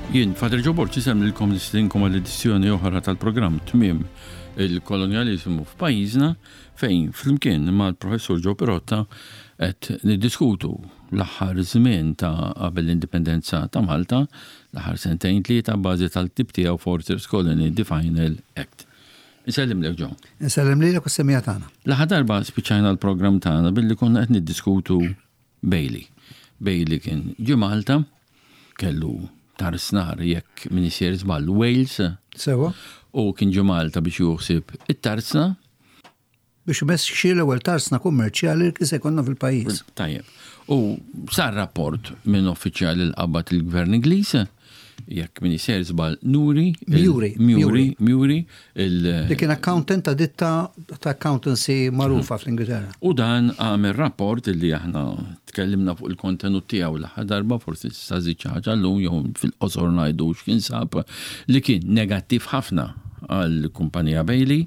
Jien, Father Joe Borg, isemmilkom nistedinkom għal edizzjoni oħra tal-programm Tmiem il-Kolonjaliżmu f'pajjiżna fejn flimkien mal-Professur Joe Pirotta qed niddiskutu l-aħħar żmien ta' qabel l-indipendenza ta' Malta, l-aħħar sentejn tlieta bażi tal-ktieb tiegħu Fortress Colony, The Final Act. Insellimlek Joe. Insellem lilek u s-semmiegħa tagħna. L-aħħar darba spiċċajna l-programm tagħna billi konna qed niddiskutu Bailey. Bailey kien ġie Malta, kellu tarsnar jekk min isir żball Wales. Sewa. U kien ġie Malta biex juħsib it-tarsna. Biex imexxi l-ewwel tarsna kummerċjali li kien se jkollna fil-pajjiż. Tajjeb. U sar rapport minn uffiċjali li qabad il-Gvern Ingliż, jekk min isir żball Nuri. Mjuri. Mjuri, Mjuri. Li kien accountant ta' ditta ta' accountancy magħrufa fl-Ingilterra. U dan għamel rapport li aħna tkellimna fuq il-kontenut tiegħu l-aħħar darba, forsi tista' żid xi ħaġa llum jew fil-qosor ngħidu x'kien sab, li kien negattiv ħafna għall-kumpanija Bailey.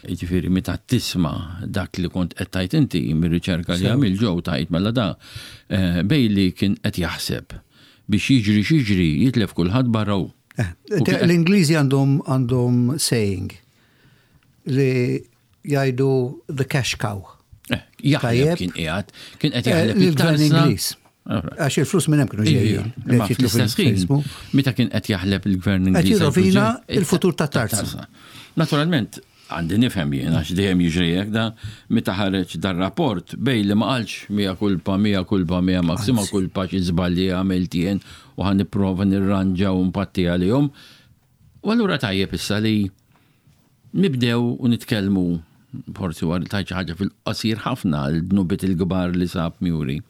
Jiġifieri meta tisma' dak li kont qed tgħid inti mir-riċerka li għamil Joe tgħid mela da eh, Bailey kien qed jaħseb biex jiġri x'jiġri jitlef kulħadd barra hu. Eh, l-Ingliżi għandhom għandhom saying li jgħidu the cash cow. Eh, jaħleb kien qiegħed, kien qed jaħleb il-gvern Ingliż. Għax il-flus minn hemm kienu ġejjin. Imma fl-istess ħin, meta kien qed jaħleb il-gvern Ingliż. Qed jirrovina il-futur ta' tarza. Naturalment, għandi nifhem jien għax dejjem jiġri hekk da meta ħareġ dar-rapport bej li ma qalx mija kulpa, mija kulpa, mija maksima kulpa xi żbalji għamilt jien u ħa nipprova nirranġa u npatti għalihom. U allura tajjeb issa li Nibdew u nitkellmu, forsi wara tajt xi ħaġa fil-qasir ħafna l-dnubiet il-kbar li sab Muri.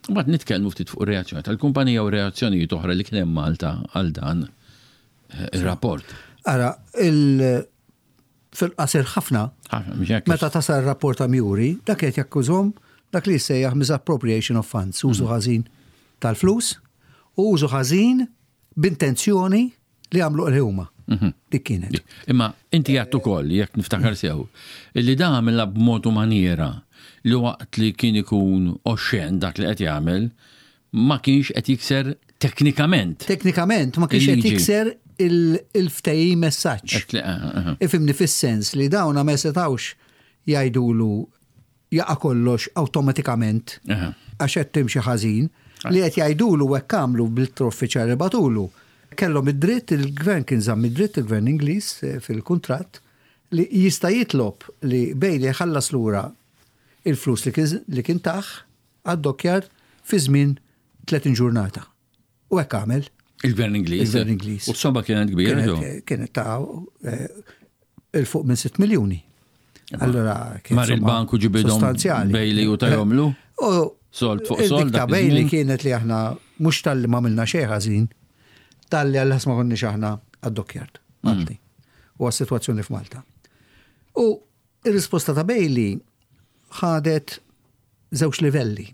Mbagħad nitkellmu ftit fuq ir-reazzjoni tal-kumpanija u reazzjonijiet oħra li kien hemm Malta għal dan eh, ir-rapport. Ara, il fil-qasir ħafna, meta tasal rapport ta' Muri, dak qed jakkużhom dak li jissejjaħ misappropriation of funds, użu mhm. ħażin tal-flus u użu ħażin b'intenzjoni li għamlu li huma. Mhm. Dik kienet. Imma inti għadt ukoll, jekk niftakar sew, li da għamilha b'mod u maniera li waqt li kien ikun oxxen dak li qed jagħmel, ma kienx qed jikser teknikament. Teknikament ma kienx qed jikser il-ftehim messaġġ. Eh, eh. Ifimni fis-sens li dawna ma setawx jgħidulu jaqa' kollox awtomatikament għax qed timxi ħażin, li qed jgħidulu hekk għamlu bl-ittra uffiċjali li bagħtulu. Kellhom id-dritt, il-gvern kien żamm id-dritt, il-gvern Ingliż eh, fil-kuntratt, li jista' jitlob li Bailey jħallas lura il-flus li kien tah għad-dockyard fi żmien 30 ġurnata. U hekk għamel. Il-Gvern Ingliż. Il-Gvern Ingliż. U s-somma kienet kbira. Kienet ta' eh, il-fuq minn 6 miljuni. Allora, Mar il-banku ġibidhom Bailey u tajomlu. Eh, u sold fuq sold. Ta' Bailey kienet li aħna mhux tal-li ma minna xejn ħażin, tal-li għall ma konniex aħna għad-dockyard Malti. Mm. U għas-sitwazzjoni f'Malta. U Ir-risposta ta' Bailey ħadet żewġ livelli.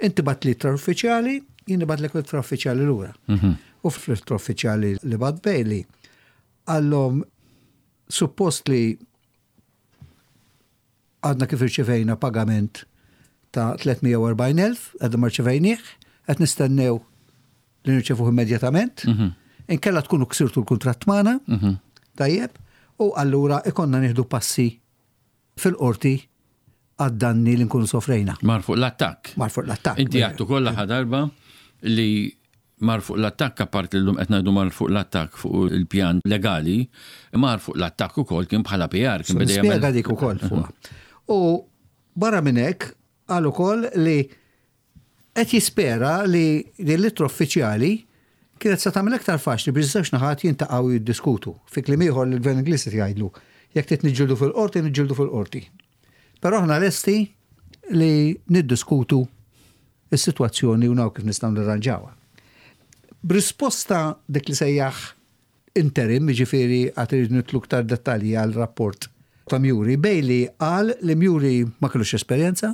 Inti bat l-ittra uffiċjali, jien nibatlek l-ittra uffiċjali lura. Mhm. U fl-ittra uffiċjali li bat Bailey, għallhom suppost li għadna kif irċivejna pagament ta' 340.000, għadna ma rċivejnieh, qed nistennew li nirċevuh immedjatament, mhm. inkella tkunu ksirtu l-kuntratt magħna, mhm. tajjeb, u allura ikonna nieħdu passi fil-qorti għad-danni li nkunu sofrejna. Mar fuq l-attakk. Mar fuq l-attakk. Inti għattu kollha darba li mar fuq l-attakk apart li l-lum qed ngħidu mar fuq l-attakk fuq il-pjan legali, mar fuq l-attakk ukoll kien bħala PR. Kien beda jagħmel. dik ukoll fuqha. U barra minn hekk qal ukoll li Qed jispera li din l-ittra uffiċjali kienet se tagħmel aktar faċli biex iż-żewġ naħat jintaqgħu u jiddiskutu. Fi kliem ieħor lill-Gvern Ingliż qed jgħidlu, jekk trid niġġieldu fil-qorti, niġġieldu fil-qorti. Però aħna lesti li niddiskutu s-sitwazzjoni u naraw kif nistgħu nirranġawha. B'risposta dik li sejjaħ interim, jiġifieri għad irridu nidħlu iktar dettalji għal rapport ta' Muri. Bailey qal li Muri ma kellux esperjenza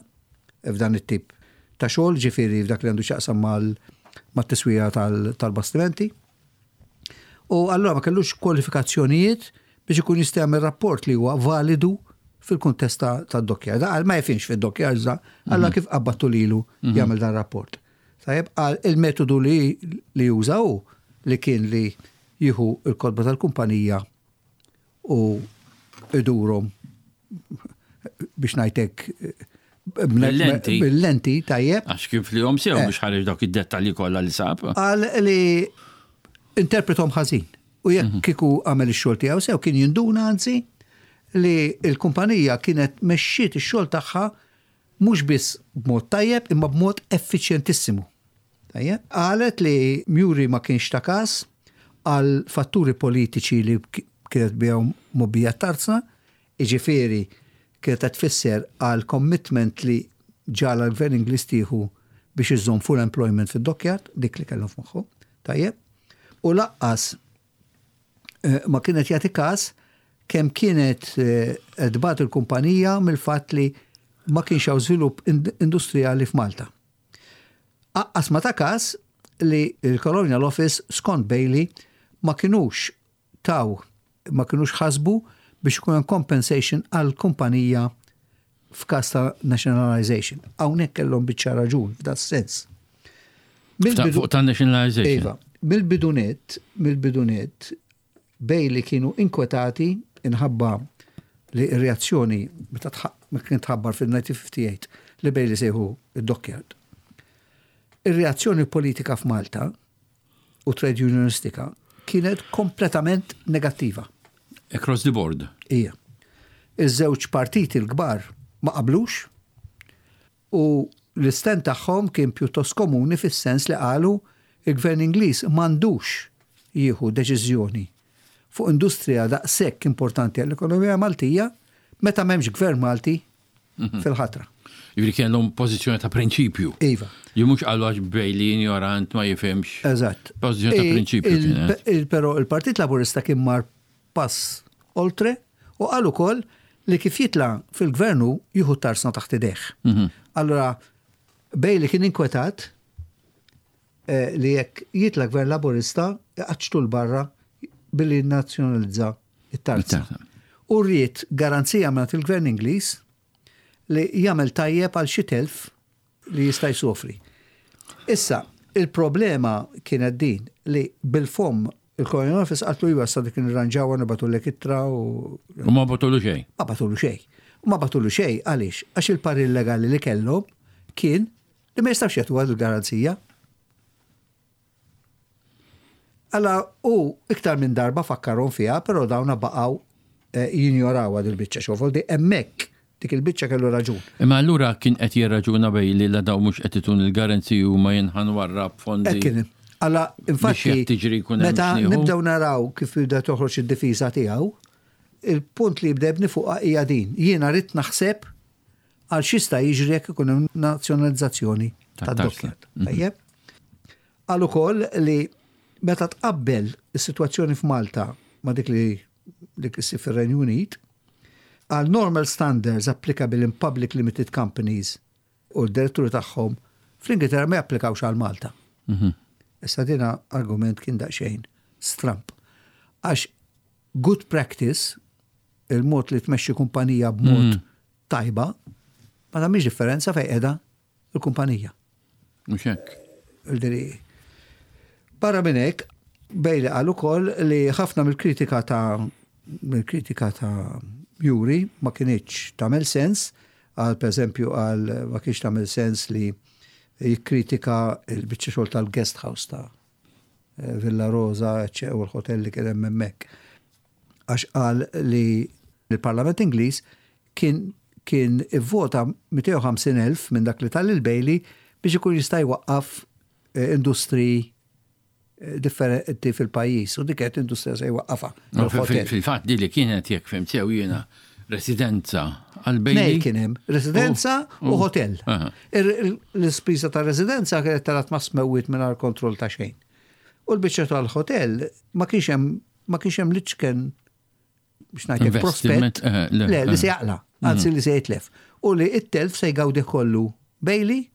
f'dan it-tip ta' xogħol, jiġifieri f'dak li għandu x'jaqsam mat-tiswija tal-bastimenti. U allura ma kellux kwalifikazzjonijiet biex ikun jista' jagħmel rapport li huwa validu fil-kuntest tad-dokkjar. Da qal ma jifhimx fid-dokkjar iżda allura mhm. kif qabbattu lilu mhm. jagħmel dan rapport. Tajjeb, qal il-metodu li juża hu. li kien li jieħu l-kotba tal-kumpanija u idurhom biex ngħidlek Bil-lenti. Bil-lenti, tajjeb. Għax kien flihom sew biex ħareġ dawk id-dettalji kollha li sab. Qal li interpretom ħażin. U jekk kieku għamel ix-xogħol tiegħu sew kien jinduna anzi li l-kumpanija kienet mexxiet ix-xogħol tagħha mhux biss b'mod tajjeb imma b'mod effiċjentissimu. Tajjeb. Qalet li Muri ma kienx ta każ għal fatturi politiċi li kienet bihom mgħobbija t-tarzna, jiġifieri kienet qed tfisser għal commitment li ġagħalha l-Gvern Ingliż tieħu biex iżomm full employment fid-dockyard, dik li kellhom f'moħħhom. Tajjeb. U laqqas ma kienet jagħti każ kemm kienet qed tbati l-kumpanija mill-fatt li ma kienx hawn żvilupp industrijali f'Malta. Aqqas ma ta każ li l-Colonial Office skont Bailey ma kinux taw, ma kinux ħasbu biex ikun hemm compensation għall-kumpanija f'każ ta' nationalisation. Hawnhekk kellhom biċċa raġun f'das-sens. Fuq ta' nationalisation. Iva, mill-bidu nett, mill-bidu nett, Bailey kienu inkwetati inħabba li r-reazzjoni meta kien tħabbar fil-1958 li Bailey sejħu id-dockyard. Ir-reazzjoni politika f'Malta u trade unionistika kienet kompletament negattiva. Across the board. Ija. Iż-żewġ partiti l-kbar ma qablux U l-istand tagħhom kien pjuttost komuni fis-sens li qalu il-Gvern Ingliż m'għandux jieħu deċiżjoni fuq industrija daqshekk importanti għall-ekonomija Maltija meta m'hemmx Gvern Malti fil-ħatra. Jiġifieri kellhom pożizzjoni ta' prinċipju. Iva. Li mhux qalu għax Bailey injorant ma jifhimx. Eżatt. Pożizzjoni ta' prinċipju kienet. Però il-Partit Laburista kien mar pass oltre u qal ukoll li kif jitla' fil-gvern hu jieħu t-tarsna taħt idejh. Allura Bailey kien inkwetat li jekk jitla' gvern Laburista iqaċċtu 'l barra billi jinnazzjonalizza t-tarzna. U ried garanzija mingħand il-gvern Ingliż li jagħmel tajjeb għal xi telf li jista' jsofri. Issa, il-problema kienet din li bil-fomm il-Colonial Office qaltlu iva issa dik nirranġawha nibgħatulek ittra u. U ma bagħtulu xejn. Ma bagħtulu xejn. U ma bagħtulu xejn għaliex? Għax il-parir legali li kellhom kien li ma jistgħux jagħtuha l-garanzija. Alla hu iktar minn darba fakkarhom fiha, però dawna baqgħu eh, jinjorawha dil-biċċa xogħol. Di hemmhekk dik il-biċċa kellu raġun. Imma allura kien qed jirraġuna Bailey la dawn mhux qed itun il-garanziji huma jien ħa nwarrab fondi. Hekk kien. Alla infatti jekk tiġri jkun hemm meta x'nieħu. nibdew naraw kif jibda toħroġ id-difiża tiegħu, il-punt li jibda jibni fuqha hija din. Jiena rrid naħseb għal x'jista' jiġri jekk ikun hemm nazzjonalizzazzjoni tad-dockyard. Tajjeb? Qal ukoll li meta tqabbel is-sitwazzjoni f'Malta ma' dik li dik li ssib fir-Renju Unit, għal normal standards applicable in public limited companies u d-diretturi tagħhom fl-Ingilterra ma japplikawx għal Malta. Issa dina argument kien daqsxejn stramb. Għax good practice, il-mod li tmexxi kumpanija b'mod tajba, ma tagħmilx differenza fejn qiegħda il-kumpanija. Mhux hekk. Barra minn hekk, Bailey qal ukoll li ħafna mill-kritika ta' mill-kritika ta' Juri ma kinitx tagħmel sens, għal pereżempju għal ma kienx tagħmel sens li jikkritika l-biċċa xogħol tal-guest house ta' Villa Rosa u l-hotel li kien hemm hemmhekk. Għax qal li l-Parlament Ingliż kien kien ivvota 250,000 minn dak li ta lil Bailey biex ikun jista' jwaqqaf industriji differenti fil-pajjiż u dik kienet industrija se jwaqqafha. Fil-fatt di li kienet jekk fhimt sew jiena residenza għal Bailey. Nej kien hemm residenza u hotel. L-ispiża ta' residenza kienet talat ma' smewwiet mingħajr kontroll ta' xejn. U l-biċċa tal-hotel ma kienx hemm ma kienx hemm l-iċken biex ngħidlek prospett eh, le li se jaqla, mhm. anzi li se jitlef. U li it-telf se jgawdi kollu Bailey,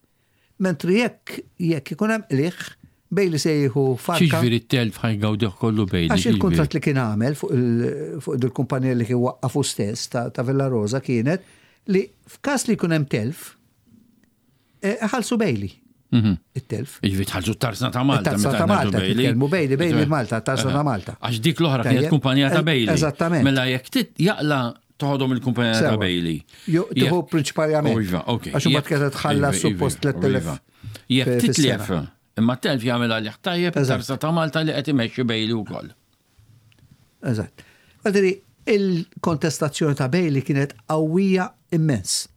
mentri jekk jekk ikun hemm qligħ Bailey se jieħu farka. Xiġifieri t-telf ħajgawdih kollu Bailey? Għax il-kuntratt li kien għamel fuq il-kumpanija li kien waqqafu stess ta' Villa Rosa kienet li f'każ li jkun hemm telf, eh, ħalsu Bailey. It-telf. Jiġifieri tħallsu t-tarzna ta' Malta. Tarzna ta' Malta, titkellmu Bailey, Bailey Malta, tarzna ta' Malta. Għax dik l-oħra kienet kumpanija ta' Bailey. Eżattament. Mela jekk jaqla toħodhom il-kumpanija ta' Bailey. Tieħu prinċipalment. Iva, ok. Għax imbagħad kienet tħallas iva, suppost iva, 3000. Iva. Jekk titlef, imma telf jagħmel għalih tajjeb tarzna ta' Malta li qed imexxi Bailey wkoll. Eżatt. Għadri, il-kontestazzjoni ta' Bailey kienet qawwija immens.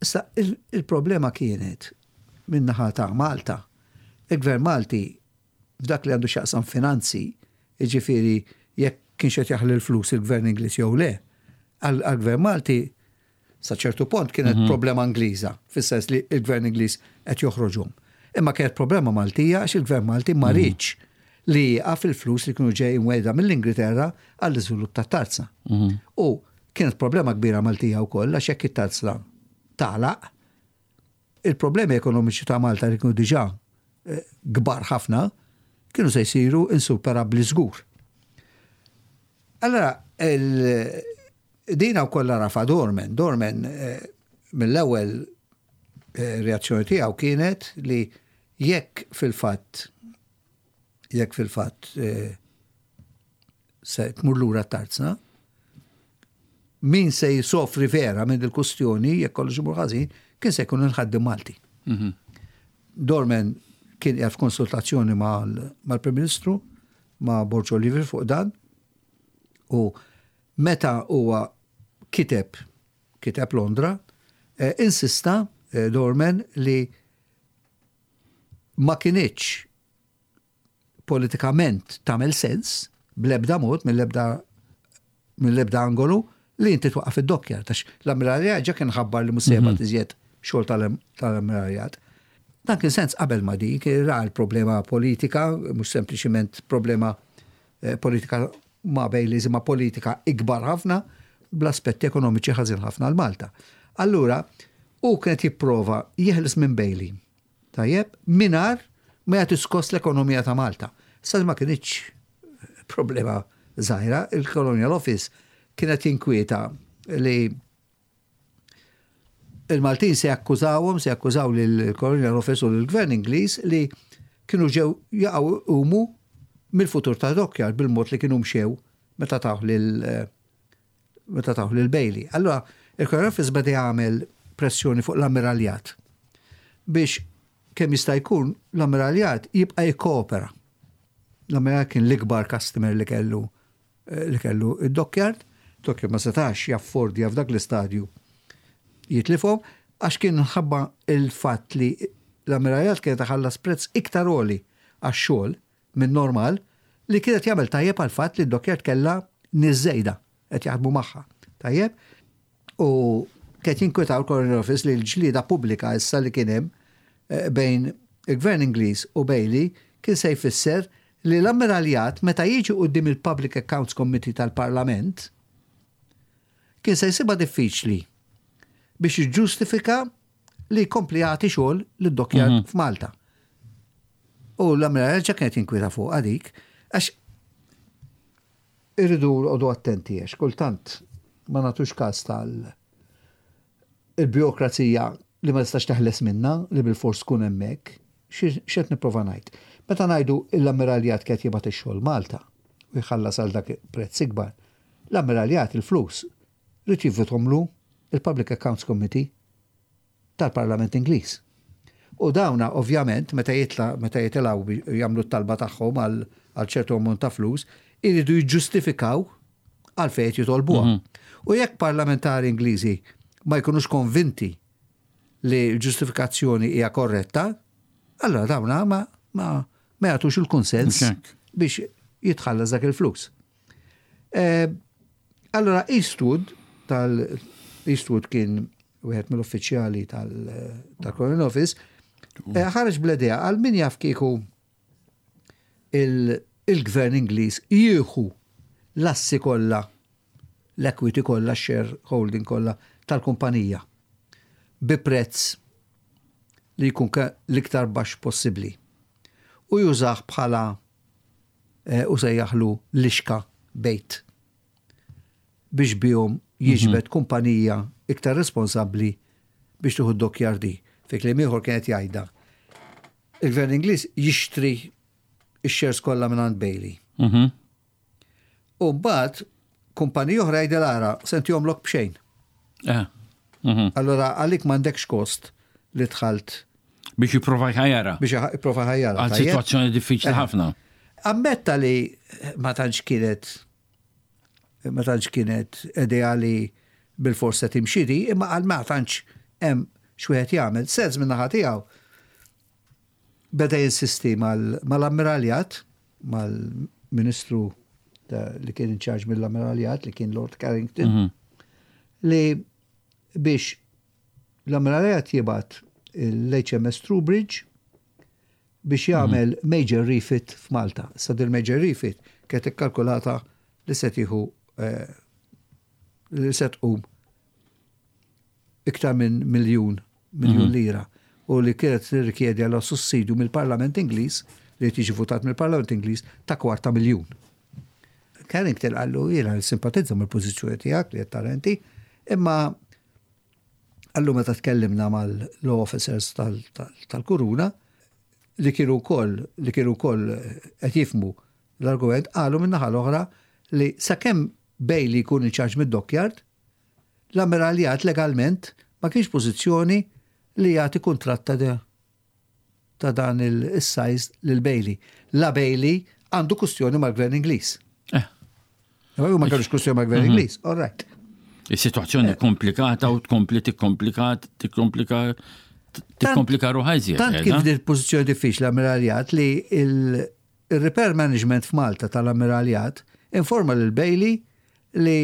Issa, il-problema kienet min-naħa ta' Malta. Il-Gvern Malti, f'dak li għandu x'jaqsam finanzi, jiġifieri jekk kienx qed jaħli l-flus il-Gvern Ingliż jew le, għall-Gvern Malti sa ċertu pont kienet problema Ingliża, fis-sens li l-Gvern Ingliż qed joħroġhom. Imma kienet problema Maltija għax il-Gvern Malti ma riedx li jieqaf il-flus li kienu ġejjin wegħda mill-Ingilterra għall-iżvilupp tat-tarzna. U Kienet problema kbira Maltija wkoll għax jekk it-tarzna tagħlaq, il-problemi ekonomiċi ta' Malta li kienu diġà eh, kbar ħafna, kienu se jsiru insuperabbli żgur. Allora, dina wkoll rafa Dorman. Dorman eh, mill-ewwel eh, reazzjoni tiegħu kienet li jekk fil-fatt jekk fil-fatt se tmur lura t-tarzna, min se jsofri vera minn il-kustjoni, jekk kollox imur ħażin, kien se jkun il-ħaddiem Malti. Mhm. Dorman kien qiegħed f'konsultazzjoni mal-Prim Ministru, ma' Borg Olivier fuq dan, u meta huwa kiteb kiteb Londra, eh, insista eh, Dorman li ma kinitx politikament tagħmel sens bl-ebda mod mill-ebda mill-ebda angolu li inti twaqqaf id-dockyard għax l-ammiraljat ġa kien ħabbar li mhux se jibgħat iżjed xogħol tal-ammiraljat. Dan kien sens qabel ma dik ra l-problema politika, mhux sempliċiment problema eh, politika ma' Baileys imma politika ikbar ħafna bl-aspetti ekonomiċi ħażin ħafna għal Malta. Allura, hu kienet jipprova jeħles minn Bailey. Tajjeb, mingħajr ma jagħti skoss l-ekonomija ta' Malta. Issa ma kinitx problema żgħira, il-Colonial Office kienet jinkwieta li il-Maltin se jakkużawhom, se jakkużaw lill-Colonial Office u lill-Gvern Ingliż li kienu ġew jaqgħu jqumu mill-futur ta' Dockyard bil-mod li kienu mxew meta tawh lil meta tawh lil Bailey. Allura, il-Colonial Office beda jagħmel pressjoni fuq l-Ammiraljat biex kemm jista' jkun l-Ammiraljat jibqa' jikkoopera. L-Ammiraljat kien l-ikbar customer li kellu eh, li kellu id-dockyard, dockyard ma setax jaffordja f'dak l-istadju jitlifhom għax kien ħabba il-fatt li l-Ammiraljat kienet iħallas prezz iktar għoli għax-xogħol minn normal li kien qed jagħmel tajjeb għall-fatt li d-dockyard kellha nies żejda qed jaħdmu magħha. Tajjeb? U kien jinkwetaw l-Colonial Office li l-ġlieda pubblika issa li kien hemm eh, bejn il-Gvern Ingliż u Bailey kien se jfisser li l-Ammiraljat meta jiġi quddiem il-Public Accounts Committee tal-Parlament kien se jsibha diffiċli biex jiġġustifika li jkompli jagħti xogħol lid-dockyard mhm. f'Malta. U l-Ammiraljat ġa kienet jinkwieta fuqha dik, għax irridu noqogħdu attenti għax kultant ma nagħtux każ tal il-burokrazija li ma tistax teħles minna li bil-fors tkun hemmhekk. X'qed nipprova ngħid? Meta ngħidu l-Ammiraljat kienet jibgħat ix-xogħol Malta u jħallas għal dak prezz ikbar, l-Ammiraljat il-flus ried jivvithomlu il-Public Accounts Committee tal-Parlament Ingliż. U dawna ovvjament meta jitla meta jitilgħu jagħmlu t-talba tagħhom għal għal ċertu ammont ta' flus, iridu jiġġustifikaw għalfejn qed jitolbuha. Mhm. U jekk parlamentari Ingliżi ma jkunux konvinti li l-ġustifikazzjoni hija korretta, allora dawna ma, ma, ma jagħtux il-kunsens biex jitħallas dak il-flus. Eh, allora Eastwood tal Eastwood kien wieħed mill-uffiċjali tal-Colonial Office, eh, ħareġ bl-idea għal min jaf kieku il-gvern Ingliż jieħu l-assi kollha, l-equity kollha, share holding kollha tal-kumpanija bi prezz li jkun l-iktar baxx possibbli u jużah bħala eh, u sejjaħlu lixka bejt biex bihom jiġbed kumpanija iktar responsabbli biex tieħu d-dockyard. Fi kliem ieħor kienet jgħidha. Il-Gvern Ingliż jixtri x-shares kollha minn Bailey. U mbagħad kumpaniji oħra jgħidilha ara se ntihomlok b'xejn. Eh. Allora għalik m'għandekx kost li dħalt Biex jipprova jħajjara. Biex jipprova jħajjara. Għal sitwazzjoni diffiċli eh. ħafna. Ammetta li ma tantx kienet ma tantx kienet ideali bil-fors se timxi di, imma għal ma tantx hemm x'wieħed jagħmel. Sez min-naħa tiegħu beda jinsisti mal-ammiraljat, mal-ministru li kien in charge mill-ammiraljat li kien Lord Carrington, li biex l-ammiraljat jibgħat l-HMS Troubridge biex jagħmel major refit f'Malta. Sa dil major refit kienet ikkalkulata li se tieħu eh, li se tqum iktar minn miljun miljun lira u li kienet tirrikjedi għal sussidju mill-Parlament Ingliż li tiġi votat mill-Parlament Ingliż ta' kwarta miljun. Carrington qallu jiena simpatizza mill-pożizzjoni tiegħek li qed tara inti, imma qallu meta tkellimna mal-law officers tal-Kuruna li kienu wkoll li kienu wkoll qed jifhmu l-argument qalu min-naħa l-oħra li sakemm Bailey jkun in charge mid-dockyard, l-ammiraljat legalment ma kienx pożizzjoni li jagħti kuntratt ta' ta' dan il-size lil Bailey. La Bailey għandu kustjoni mal-Gvern Ingliż. Eh. Ma kellux kustjoni mal-Gvern Ingliż, all right. Is-sitwazzjoni komplikata u tkompli tikkomplika tikkomplika tikkomplika ruħha iżjed. Tant kif din pożizzjoni diffiċli l-ammiraljat li il-repair management f'Malta tal-ammiraljat informa lil Bailey li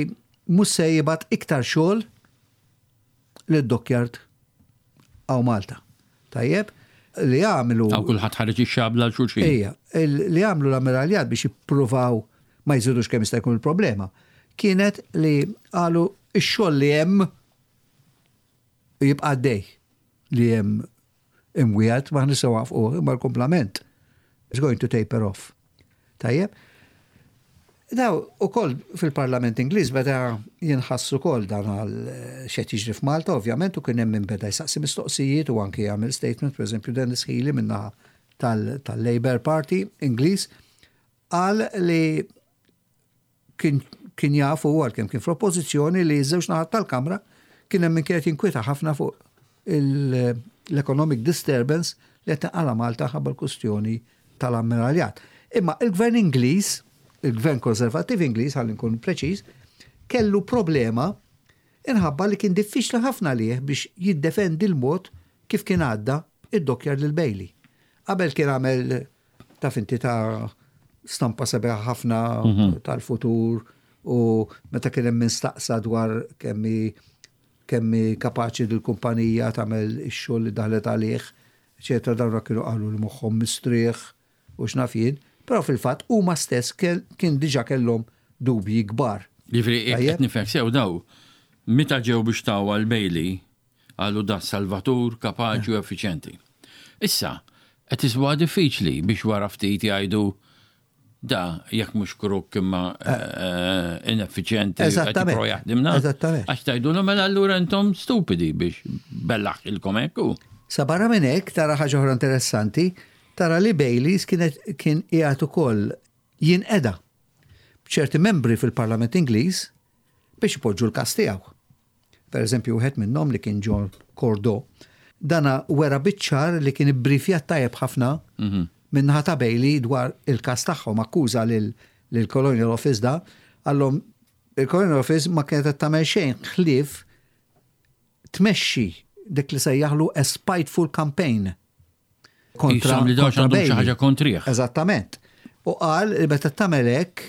mhux se jibgħat iktar xogħol lid-dockyard hawn Malta. Tajjeb, li għamlu. Hawn kulħadd ħareġ ix-xabla għal xulxin. Ejja, li għamlu l-ammiraljat biex jippruvaw ma jżidux kemm jista' jkun il-problema, kienet li qalu x-xogħol li hemm jibqa' għaddej li hemm imwiegħed ma nistgħu waqfuh imma l-kumplament is going to taper off. Tajjeb? Daw ukoll fil-Parlament Ingliż beda jinħass ukoll dan għal x'qed jiġri f'Malta, ovvjament, u kien hemm min beda jsaqsi mistoqsijiet u anki jagħmel statement, pereżempju Dennis Healy min-naħa tal-Labour Party Ingliż qal li kien kien jaf u għalkemm kien fl-oppożizzjoni li ż-żewġ naħat tal-Kamra kien hemm min kienet jinkwieta ħafna fuq l-economic disturbance li qed tinqala' Malta ħabba l-kustjoni tal-ammiraljat. Imma il-Gvern Ingliż, il-Gvern Konservattiv Ingliż, ħalli nkun preċiż, kellu problema inħabba li kien diffiċli ħafna għalih biex jiddefendi l-mod kif kien għadda id-dockyard lil Bailey. Qabel kien għamel taf inti ta' stampa sabiħa ħafna tal-futur u meta kien hemm min staqsa dwar kemm hi kemm hi kapaċi dil-kumpanija tagħmel ix-xogħol li daħlet għalih, eċetera, dawn kienu qalu li moħħhom mistrieħ u x'naf jien, però fil-fatt huma stess kien diġà kellhom dubji kbar. Jiġifieri jekk qed nifhem sew daw meta ġew biex taw għal Bailey qalu da salvatur kapaċi u effiċjenti. Issa qed isibuha diffiċli biex wara ftit jgħidu Da, jekk mhux kruk imma ineffiċjenti qed jipprova jaħdimna. Eżattament. Għax tgħidulhom mela allura intom stupidi biex bellaħilkom hekk hu. Sa barra minn hekk tara ħaġa oħra interessanti, tara li Baileys kienet kien qiegħed ukoll jinqeda b'ċerti membri fil-Parlament Ingliż biex ipoġġu l-każ tiegħu. Per eżempju, wieħed minnhom li kien John Cordeau, dana wera biċ-ċar li kien ibbrifjat tajjeb ħafna mhm. min-naħa ta' Bailey dwar il-każ tagħhom, akkuża lill-Colonial Office da, għallhom il-Colonial Office ma kienet qed tagħmel xejn ħlief tmexxi dik li sejjaħlu a spiteful campaign kontra li dawx għandhom xi ħaġa kontrih. Eżattament. U qal li meta tagħmel hekk,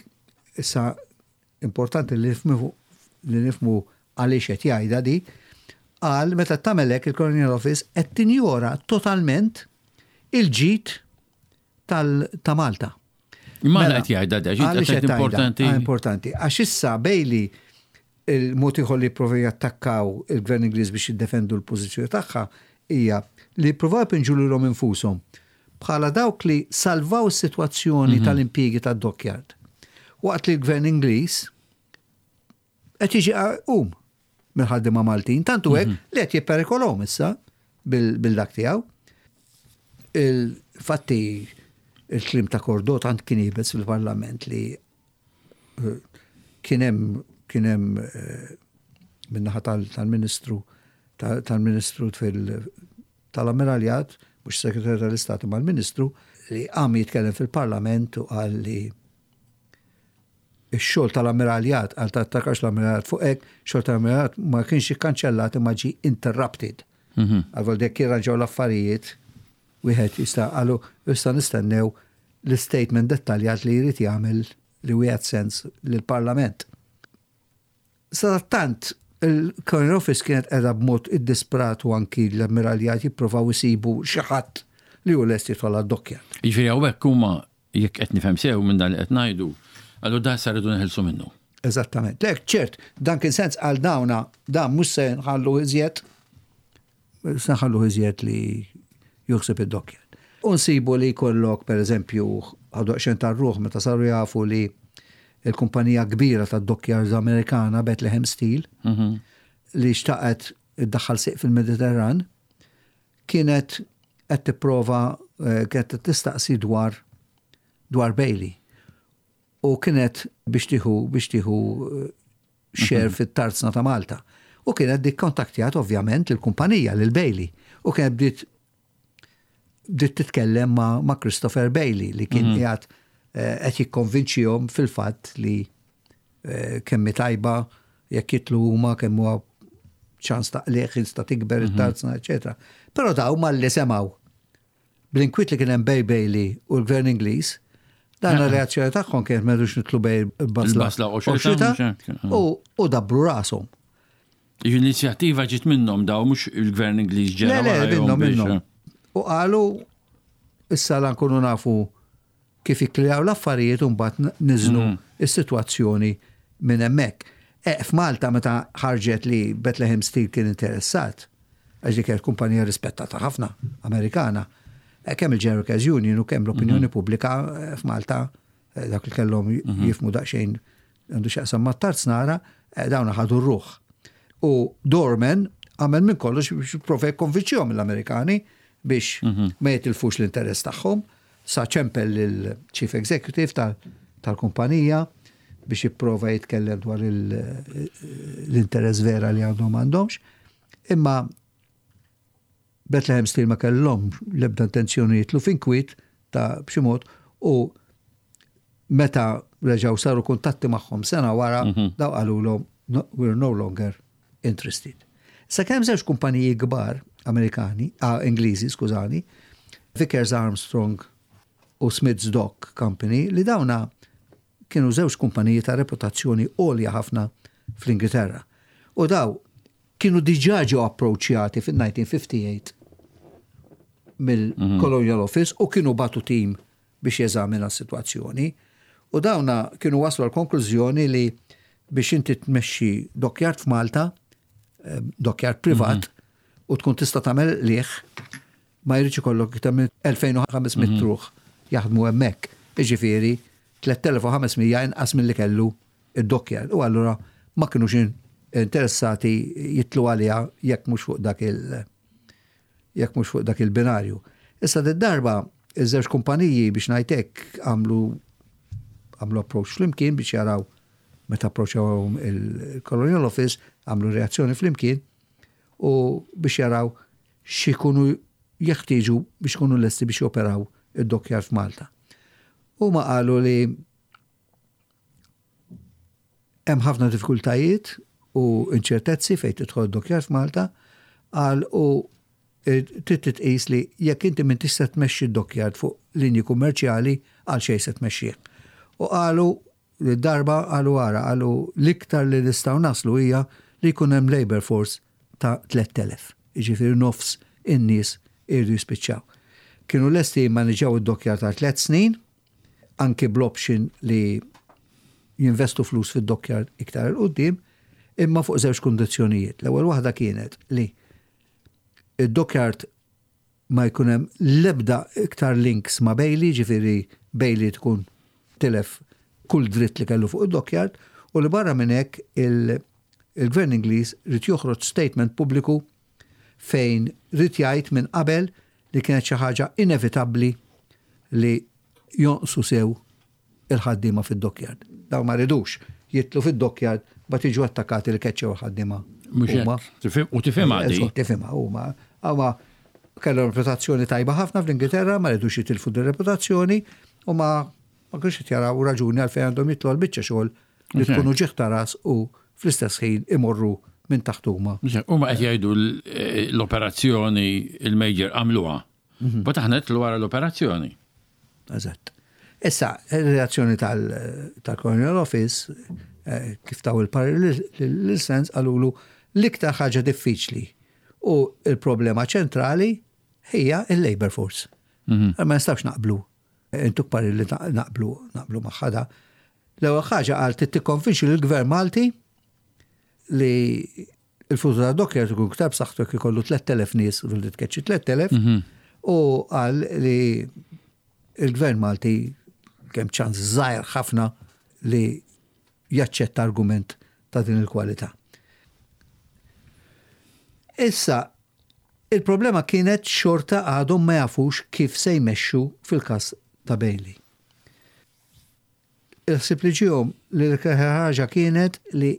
issa importanti li nifhmu li nifhmu għaliex qed jgħidha di, qal meta tagħmel hekk il-Colonial Office qed tinjora totalment il-ġid ta' Malta. Imma mela, qed jgħidha da, għaliex importanti. Ah, importanti. Għax issa Bailey il-mod ieħor li jipprovaw jattakkaw il-Gvern Ingliż biex jiddefendu l-pożizzjoni tagħha hija li jippruvaw ipinġu lilhom infushom bħala dawk li salvaw is-sitwazzjoni mhm. tal-impjiegi tad-dockyard. Waqt li l-Gvern Ingliż qed jiġi um mill-ħaddiema Maltin, tantu hekk mhm. li qed jipperikolhom issa. bil-dak tiegħu. Il-fatti il-kliem ta' Cordot tant kien iebes fil-Parlament li eh, kien hemm kien hemm eh, min-naħa tal-Ministru tal-Ministru fil tal-Ammiraljat, mhux Segretarju tal-Istat imma l-Ministru, li qam jitkellem fil-Parlament u qal li x-xogħol tal-Ammiraljat, qal tattakax l-Ammiraljat fuq hekk, xogħol tal-Ammiraljat ma kienx ikkanċellat imma ġie interrupted. Mhm. Għal dek jirranġaw l-affarijiet, wieħed jista' qalu issa nistennew l-statement dettaljat li jrid jagħmel li wieħed sens lill-Parlament. Sadattant, il-Colonial Office kienet qiegħda b'mod iddisprat u anki l-Ammiraljat jipprovaw isibu xi ħadd li hu lest jidħol għad-dockyard. Jiġifieri hawnhekk huma, jekk qed nifhem sew minn dan li qed ngħidu, qalu dan issa rridu neħilsu minnu. Eżattament. Le, ċert, dan kien sens għal dawna, dan mhux se nħallu iżjed, se nħallu iżjed li juħseb id-dockyard. U nsibu li jkollok, per eżempju, ħadu daqsxejn tar-ruħ meta saru jafu li il-kumpanija kbira tad-dockyards Amerikana Bethlehem Steel mhm. li xtaqet iddaħħal sieq fil-Mediterran kienet qed tipprova eh, kienet tistaqsi dwar dwar Bailey. U kienet biex tieħu biex tieħu eh, share mhm. fit-tarzna ta' Malta. U kienet dik kontaktjat ovvjament il-kumpanija lil Bailey. U kienet bdiet bdiet titkellem ma', ma Christopher Bailey li kien mhm. qiegħed eh, qed jikkonvinċihom fil-fatt li eh, kemm tajba jekk jitlu huma kemm huwa ċans ta' qliegħ jista' tikber mhm. it-tarzna, eċetera. Però daw malli semgħu Bl-inkwiet li kien hemm bejn Bailey u l-Gvern Ingliż, dan ir-reazzjoni tagħhom kienet ma rridux nitlu bejn il-basla u xita u dabbru rashom. L-inizjattiva ġiet minnhom daw mhux il-Gvern Ingliż ġera. Le, le, minnhom minnhom. U qalu issa la nkunu nafu kif jikklijaw l-affarijiet u mbagħad niżnu mm. is-sitwazzjoni minn hemmhekk. E, F'Malta meta ħarġet li Bethlehem Steel kien interessat, għax dik kienet kumpanija rispettata ħafna Amerikana, e, kemm il-General Workers Union u kemm l-opinjoni mhm. pubblika e, f'Malta e, dak li kellhom mhm. jifmu daqsxejn għandu x'jaqsam mat-tarznara, dawn ħadu r-ruħ. U Dorman għamel minn kollox biex jipprova jikkonvinċihom l-Amerikani biex mhm. ma jitilfux l-interess tagħhom. Sa ċempel lill-Chief Executive tal-kumpanija biex jipprova jitkellem dwar l-interess vera li għandhom m'għandhomx. Imma Bethlehem Steel ma kellhom l-ebda intenzjoni jitlu f'inkwiet ta' b'xi mod u meta reġgħu saru kuntatti magħhom sena wara mhm. daw qalulhom we're no longer interested. Sakemm żewġ kumpaniji kbar Amerikani, ah, Ingliżi, skużani, Vickers Armstrong u Smiths Dock Company, li dawna kienu żewġ kumpaniji ta' reputazzjoni għolja ħafna fl-Ingilterra. U daw kienu diġà ġew approċċjati fil-1958 mill-Colonial Office u kienu bagħtu tim biex jeżamina s-sitwazzjoni. U dawna kienu waslu għal konklużjoni li biex inti tmexxi dockyard f'Malta, eh, dockyard privat, mhm. u tkun tista' tagħmel liħ, ma jridx ikollok iktar minn 2500 mhm. ruħ jaħdmu hemmhekk. Jiġifieri 3500 inqas milli kellu id-dockyard. U allura ma kinux interessati jitlu għaliha jekk mhux fuq dak il- jekk mhux fuq dak il-binarju. Issa d-darba iż-żewġ kumpaniji biex ngħid hekk għamlu għamlu approach flimkien biex jaraw meta approachawhom il-Colonial Office għamlu reazzjoni flimkien u biex jaraw x'ikunu jeħtieġu biex ikunu lesti biex joperaw id-dockyard f'Malta. Huma qalu li Hemm ħafna diffikultajiet u inċertezzi fejn tidħol id-dockyard f'Malta, qal u trid titqis li jekk inti m'intix se tmexxi d-dockyard fuq linji kummerċjali għal xejn se tmexxih. U qalu li darba qalu ara qalu l-iktar li nistgħu naslu hija li jkun hemm labour force ta' 3,000, jiġifieri nofs in-nies iridu jispiċċaw. Kienu lesti jimmaniġġjaw id-dockyard għal tlett snin, anki bl-option li jinvestu flus fid-dockyard iktar 'il quddiem, imma fuq żewġ kundizzjonijiet. L-ewwel waħda kienet li id-dockyard ma jkun hemm l-ebda iktar links ma' Bailey, ġifieri Bailey tkun tilef kull dritt li kellu fuq id-dockyard, u li barra minn hekk il-Gvern Ingliż ried joħroġ statement pubbliku. fejn ried jgħid minn qabel li kienet xi ħaġa inevitabbli li jonqsu sew il-ħaddiema fid-dockyard. Dawn ma ridux jidħlu fid-dockyard mbagħad jiġu attakkati li keċċew il-ħaddiema huma. U tifhimha di. Tifhimha huma. Huma kellhom reputazzjoni tajba ħafna fl-Ingilterra, ma ridux jitilfu din reputazzjoni u ma ma kienx qed jaraw raġuni għalfejn għandhom jitlu għal biċċa xogħol li tkun uġigħ ta' ras u fl-istess ħin imorru minn taħt huma. Huma qed jgħidu l-operazzjoni il-major għamluha. Mhm. But aħna nidħlu wara l-operazzjoni. Eżatt. Issa, il-reazzjoni tal-Colonial Office, eh, kif taw il-parir l-sens, għalulu l-iktar ħaġa diffiċli u il-problema ċentrali hija il-labor force. Mhm. Ma nistawx naqblu. Intuk parir li naqblu naqblu magħha L-ewwel ħaġa qal trid tikkonvinċi lill-Gvern Malti li il-futur ta' Dockyard ikun iktar b'saħħtu jekk ikollu 3000 nies u li tkeċċi 3000 mhm. u qal li il-Gvern Malti kemm ċans żgħir ħafna li jaċċetta argument ta' din il-kwalità. Issa, il-problema kienet xorta għadhom ma jafux kif se jmexxu fil-każ ta' Bailey. Il-ħsieb li ġiehom li l-iktar ħaġa kienet li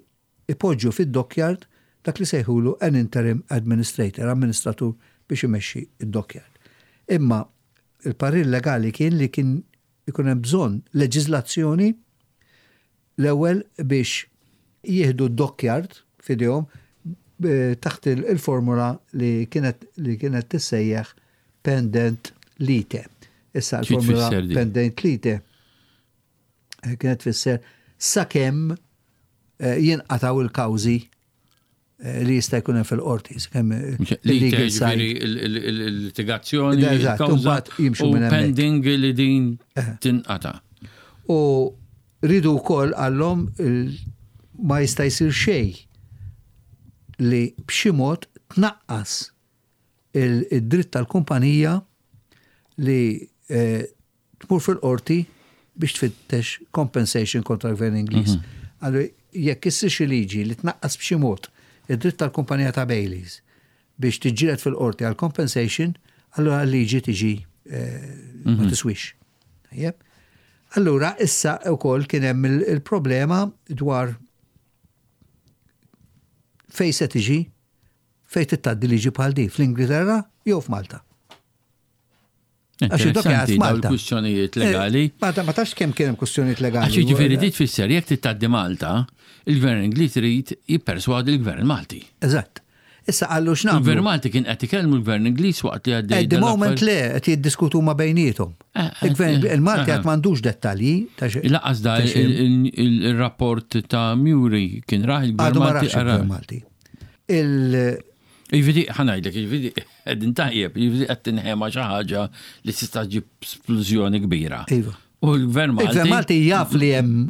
ipoġġu fid-dockyard dak li sejħulu an interim administrator, amministratur biex imexxi d-dockyard. Imma il-parir legali kien li kien ikun hemm bżonn leġiżlazzjoni l-ewwel biex jieħdu d-dockyard f'idejhom taħt il-formula li kienet li kienet tissejjaħ pendent lite. Issa l-formula pendent lite eh, kienet tfisser sakemm eh, jinqataw il-kawżi eh, li jista' jkun hemm fil-qorti. Sakemm il-legal side. Il-litigazzjoni, il-kawża jimxu minn pending li din tinqata. U ridu wkoll għallhom ma jista' jsir xejn li b'xi mod tnaqqas id-dritt tal-kumpanija li eh, tmur fil-qorti biex tfittex compensation kontra l-gvern Ingliż. Mhm. Allura jekk issir xi liġi li tnaqqas b'xi mod id-dritt tal-kumpanija ta' Baileys biex tiġġieled fil-qorti għal compensation, allura l-liġi tiġi eh, ma mhm. tiswix. Tajjeb. Allura issa wkoll kien hemm il-problema dwar fej se tiġi fejn tgħaddi liġi bħal di, fl-Ingilterra jew f'Malta. Għax id-dokja Malta. Kwistjonijiet eh, legali. Ma tafx kemm kien hemm kwistjonijiet legali. Għax jiġifieri di tfisser jekk titgħaddi Malta, il-Gvern Ingliż irid jipperswadi l-Gvern Malti. Eżatt. Issa qallu x'nagħmlu. Il-Gvern Malti kien qed ikellmu l-Gvern Ingliż waqt li għaddej. At the moment le, qed jiddiskutu ma bejniethom. Eh, eh, Il-Gvern il-Malti qed m'għandux dettalji ta' xi. Laqas da il-rapport ta' Muri kien raħ il-Gvern Malti. Għadu Malti. Il- Jiġifieri, ħa ngħidlek, jiġifieri qegħdin tajjeb, jiġifieri qed tinħema xi ħaġa li tista' ġib splużjoni kbira. Iva. U l-Gvern Malti. Il-Gvern Malti jaf li hemm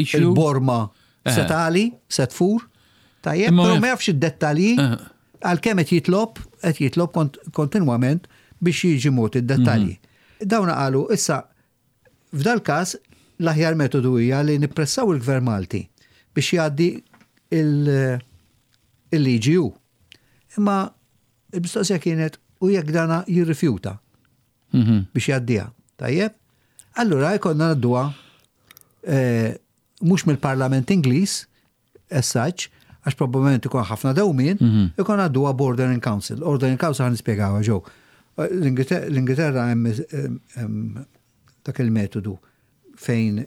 il-borma eh. setali, set fur, tajjeb, però ma jafx id-dettalji eh. għalkemm qed jitlob, qed jitlob kontinwament biex jiġi mod id-dettalji. Mhm. Dawna qalu issa F'dal-każ, l-aħjar metodu hija li nippressaw il-Gvern Malti biex jgħaddi il-liġi hu. Imma il-mistoqsija kienet u jekk dana jirrifjuta mhm. biex jgħaddiha. Tajjeb? Allura jkollna ngħadduha eh, mhux mill-Parlament Ingliż, as such, għax probabbilment ikun ħafna dewmien, mhm. ikun għaddu Bordering Council. Ordering Council għan nispjegaw ġew. L-Ingilterra hemm dak il-metodu fejn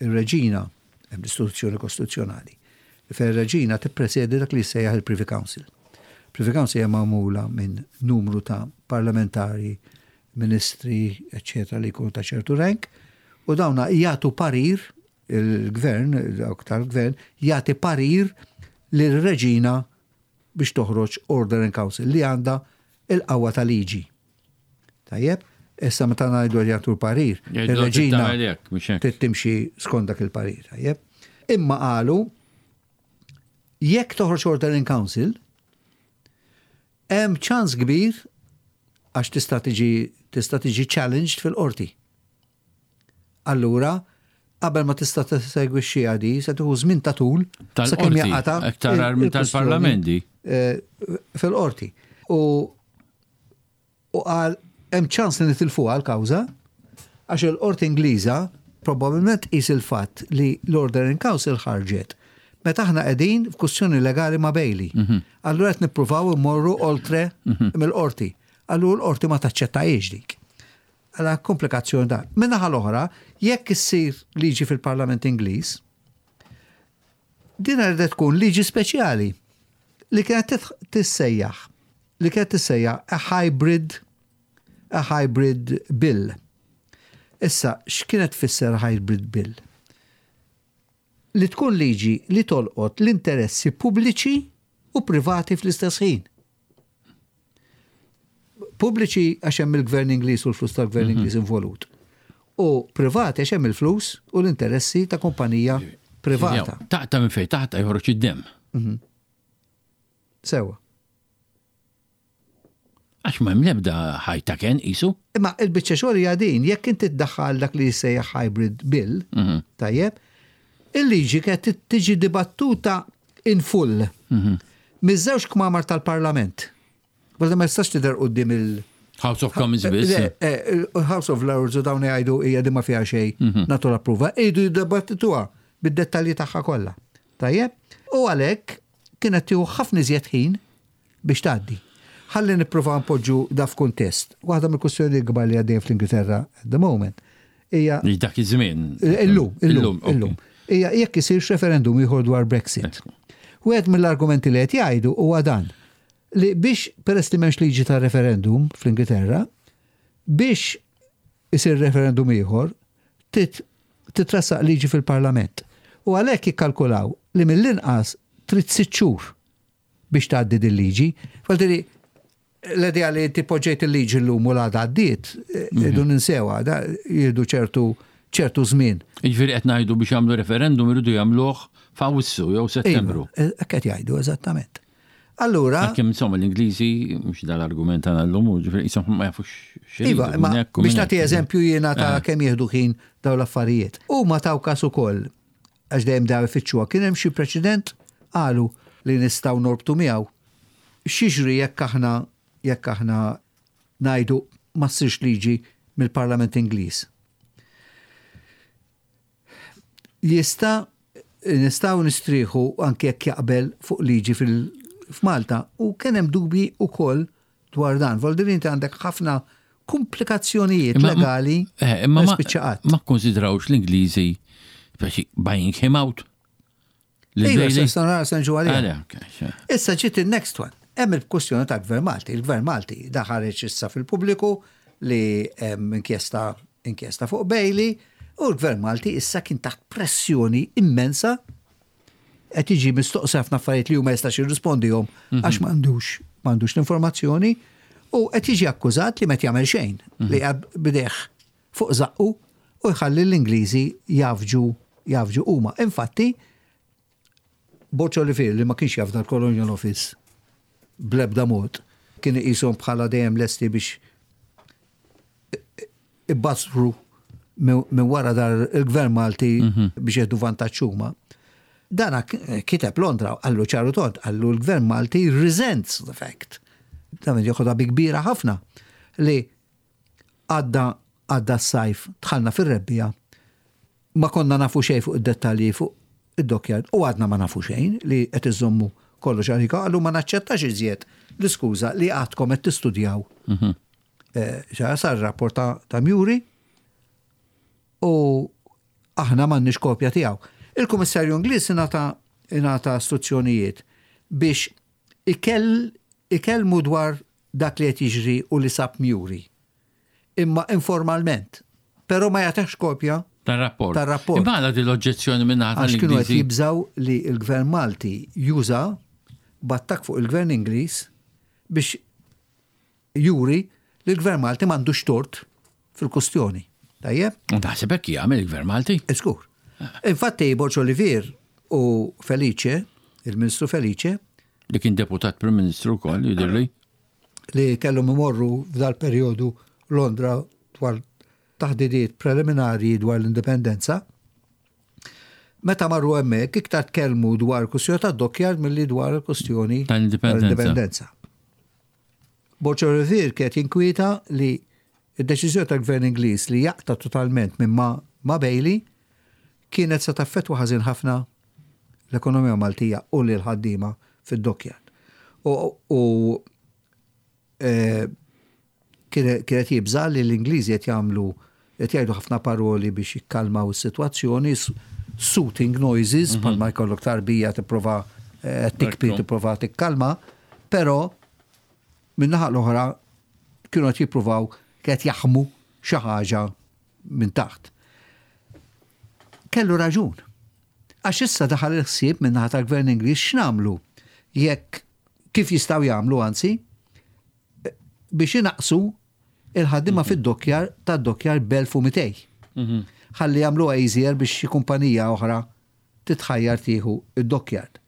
ir-reġina, hemm l-istituzzjoni kostituzzjonali, fejn ir-reġina tippresedi dak li jissejjaħ il-Privy Council. Privy Council hija magħmula minn numru ta' parlamentari, ministri, eccetera, li jkunu ta' ċertu rank, u dawna jagħtu parir il-gvern, dawk tal-gvern, jagħti parir lir-reġina biex toħroġ Order in Council li għandha il-qawwa ta' liġi. Tajjeb, issa meta ngħidu jagħtu l-parir, ir-reġina trid timxi skont dak il-parir, tajjeb. Imma qalu jekk toħroġ Order in Council, hemm ċans kbir għax tista' tiġi tista' tiġi challenged fil-qorti. Allura, qabel ma tista' tesegwixxiha di, se tieħu żmien ta' tul sakemm jaqata' Aktar minn tal-parlamenti. Eh, fil-qorti. U u qal hemm ċans li nitilfuha l-kawża għax il-Qorti Ingliża probabbilment tqis il-fatt li l-Order in Council ħarġet meta aħna qegħdin f'kwistjoni legali ma' Bailey. Allura qed nippruvaw immorru oltre mill-qorti. Allura l-qorti ma taċċettahiex dik. Għala komplikazzjoni da. Min-naħa l-oħra, jekk issir liġi fil-Parlament Ingliż, din għandha tkun liġi speċjali li kienet tissejjaħ li kienet tissejjaħ a hybrid a hybrid bill. Issa, x'kienet tfisser hybrid bill? Li tkun liġi li tolqot l-interessi pubbliċi u privati fl-istess ħin. Pubbliċi għax hemm il-gvern Ingliż u l-flus tal-gvern Ingliż involut. U privati għax hemm il-flus u l-interessi ta' kumpanija privata. Taqta' minn fejn taqta' joħroġ id-demm. Sewa. Għax ma hemm l-ebda ħajta ken qisu. Imma il-biċċa xogħol hija din, jekk inti tdaħħal dak li jissejjaħ hybrid bill, tajjeb, il-liġi kienet tiġi dibattuta in full miż-żewġ kmamar tal-Parlament. Għalda ma jistax tidher quddiem il- House of Commons biss. Le, House of Lords u dawn jgħidu hija din ma fiha xejn nagħtu l-approva, iridu jiddibattituha bid-dettalji tagħha kollha. Tajjeb? U għalhekk kienet tieħu ħafna iżjed ħin biex tgħaddi. Ħalli nippruvaw npoġġu da f'kuntest. Waħda mill-kwistjonijiet kbar li għaddejjin fl-Ingilterra at the moment hija Li dak iż-żmien. Illum, illum, illum. Hija jekk isirx referendum ieħor dwar Brexit. Wieħed mill-argumenti li qed jgħidu huwa dan li biex peress li m'hemmx liġi ta' referendum fl-Ingilterra, biex isir referendum ieħor, titressaq liġi fil-Parlament. U għalhekk jikkalkulaw li mill-inqas trid 6 xhur biex tgħaddi din liġi. Vuol l-idea li inti poġġejt il-liġi llum u l-għada għaddiet, irridu ninsewha, jieħdu ċertu ċertu żmien. Jiġifieri qed ngħidu biex jagħmlu referendum iridu jagħmluh f'Awwissu jew Settembru. Iva, hekk qed jgħidu eżattament. Allura. Għalkemm insomma l-Ingliżi mhux dal-argument tagħna llum, ġifieri qishom ma jafux x'iridu. Iva, imma biex nagħti eżempju jiena ta' kemm jieħdu ħin dawn l-affarijiet. Huma taw każ ukoll għax dejjem daw ifittxuha, kien hemm xi preċedent qalu li nistgħu norbtu miegħu. X'jiġri jekk aħna jekk aħna ngħidu ma ssirx liġi mill-Parlament Ingliż? Jista' nistgħu nistrieħu anke jekk jaqbel fuq liġi fil-Malta u kien hemm dubji wkoll dwar dan. Vuol dire inti għandek ħafna komplikazzjonijiet legali. Eh, imma ma ma kkonsidrawx l-Ingliżi buying him out. Iva, senġu għalija. Issa ġiet il-next one. Hemm il-kwestjoni ta' Gvern Malti. Il-Gvern Malti daħareġ issa fil-pubbliku li hemm inkjesta inkjesta fuq Bailey u l-Gvern Malti issa kien taħt pressjoni immensa qed jiġi mistoqsi ħafna affarijiet li hu ma jistax jirrispondihom għax m'għandux m'għandux l-informazzjoni u qed jiġi akkużat li ma qed jagħmel xejn li bideh fuq żaqqu u jħalli l-Ingliżi jafġu jafġu huma. Infatti, Borg Olivier li ma kienx jaf dal-Colonial Office bl-ebda mod, kien iqishom bħala dejjem lesti biex ibbassru minn wara dar il-Gvern Malti mhm. biex jieħdu vantaġġ huma. Dana kiteb Londra, għallu ċaru tont, għallu l-Gvern Malti resents the fact. Dan joħodha bi kbira ħafna li għadda għadda s-sajf, dħalna fir-rebbiegħa, ma konna nafu xejn fuq id-dettalji fuq id-dockyard u għadna ma nafu xejn li qed iżommu kollox għalika, għallu ma naċċettax iżjed l-iskuża li għadkom qed tistudjaw. Mhm. Eh, sar rapport ta' Muri u aħna m'għandniex kopja tiegħu. Il-Kummissarju Ingliż ingħata istruzzjonijiet biex ikellmu dwar dak li qed jiġri u li sab Muri. Imma informalment. Però ma jagħtihx kopja tar-rapport. Tar-rapport. Imma għala din l-oġġezzjoni minn naħa Għax kienu qed jibżgħu li l-Gvern Malti juża b'attakk fuq il-Gvern Ingliż biex juri li l-Gvern Malti m'għandux tort fil-kustjoni. Tajjeb? U taħseb hekk jagħmel il-Gvern Malti? Żgur. Infatti Borg Olivier u Felice, il-Ministru Felice, Li kien deputat Prim Ministru wkoll, jidhirli. Li kellhom imorru f'dal-perjodu Londra dwar taħdidiet preliminarji dwar l-indipendenza. Meta marru hemmhekk iktar tkellmu dwar kwistjoni tad-dockyard milli dwar il-kwistjoni tal-indipendenza. Borg Olivier kien qed jinkwieta li d-deċiżjoni tal-Gvern Ingliż li jaqta' totalment minn ma' ma' Bailey kienet se taffettwa ħażin ħafna l-ekonomija Maltija u lill-ħaddiema fid-dockyard. U, u Kien qed jibża' li l-Ingliżi qed jagħmlu qed jgħidu ħafna paroli biex jikkalmaw is-sitwazzjoni, soothing noises, bħalma jkollok tarbija tipprova tikbi tipprova tikkalma, però min-naħa l-oħra kienu qed jippruvaw qed jaħmu xi ħaġa minn taħt. Kellu raġun. Għax issa daħal il-ħsieb min-naħa tal-Gvern Ingliż x'nagħmlu jekk kif jistgħu jagħmlu anzi, biex inaqqsu il-ħaddiema fid-dokkjar tad-dokkjar b'1200. Ħalli jagħmluha easier biex xi kumpanija oħra titħajjar tieħu d-dockyard.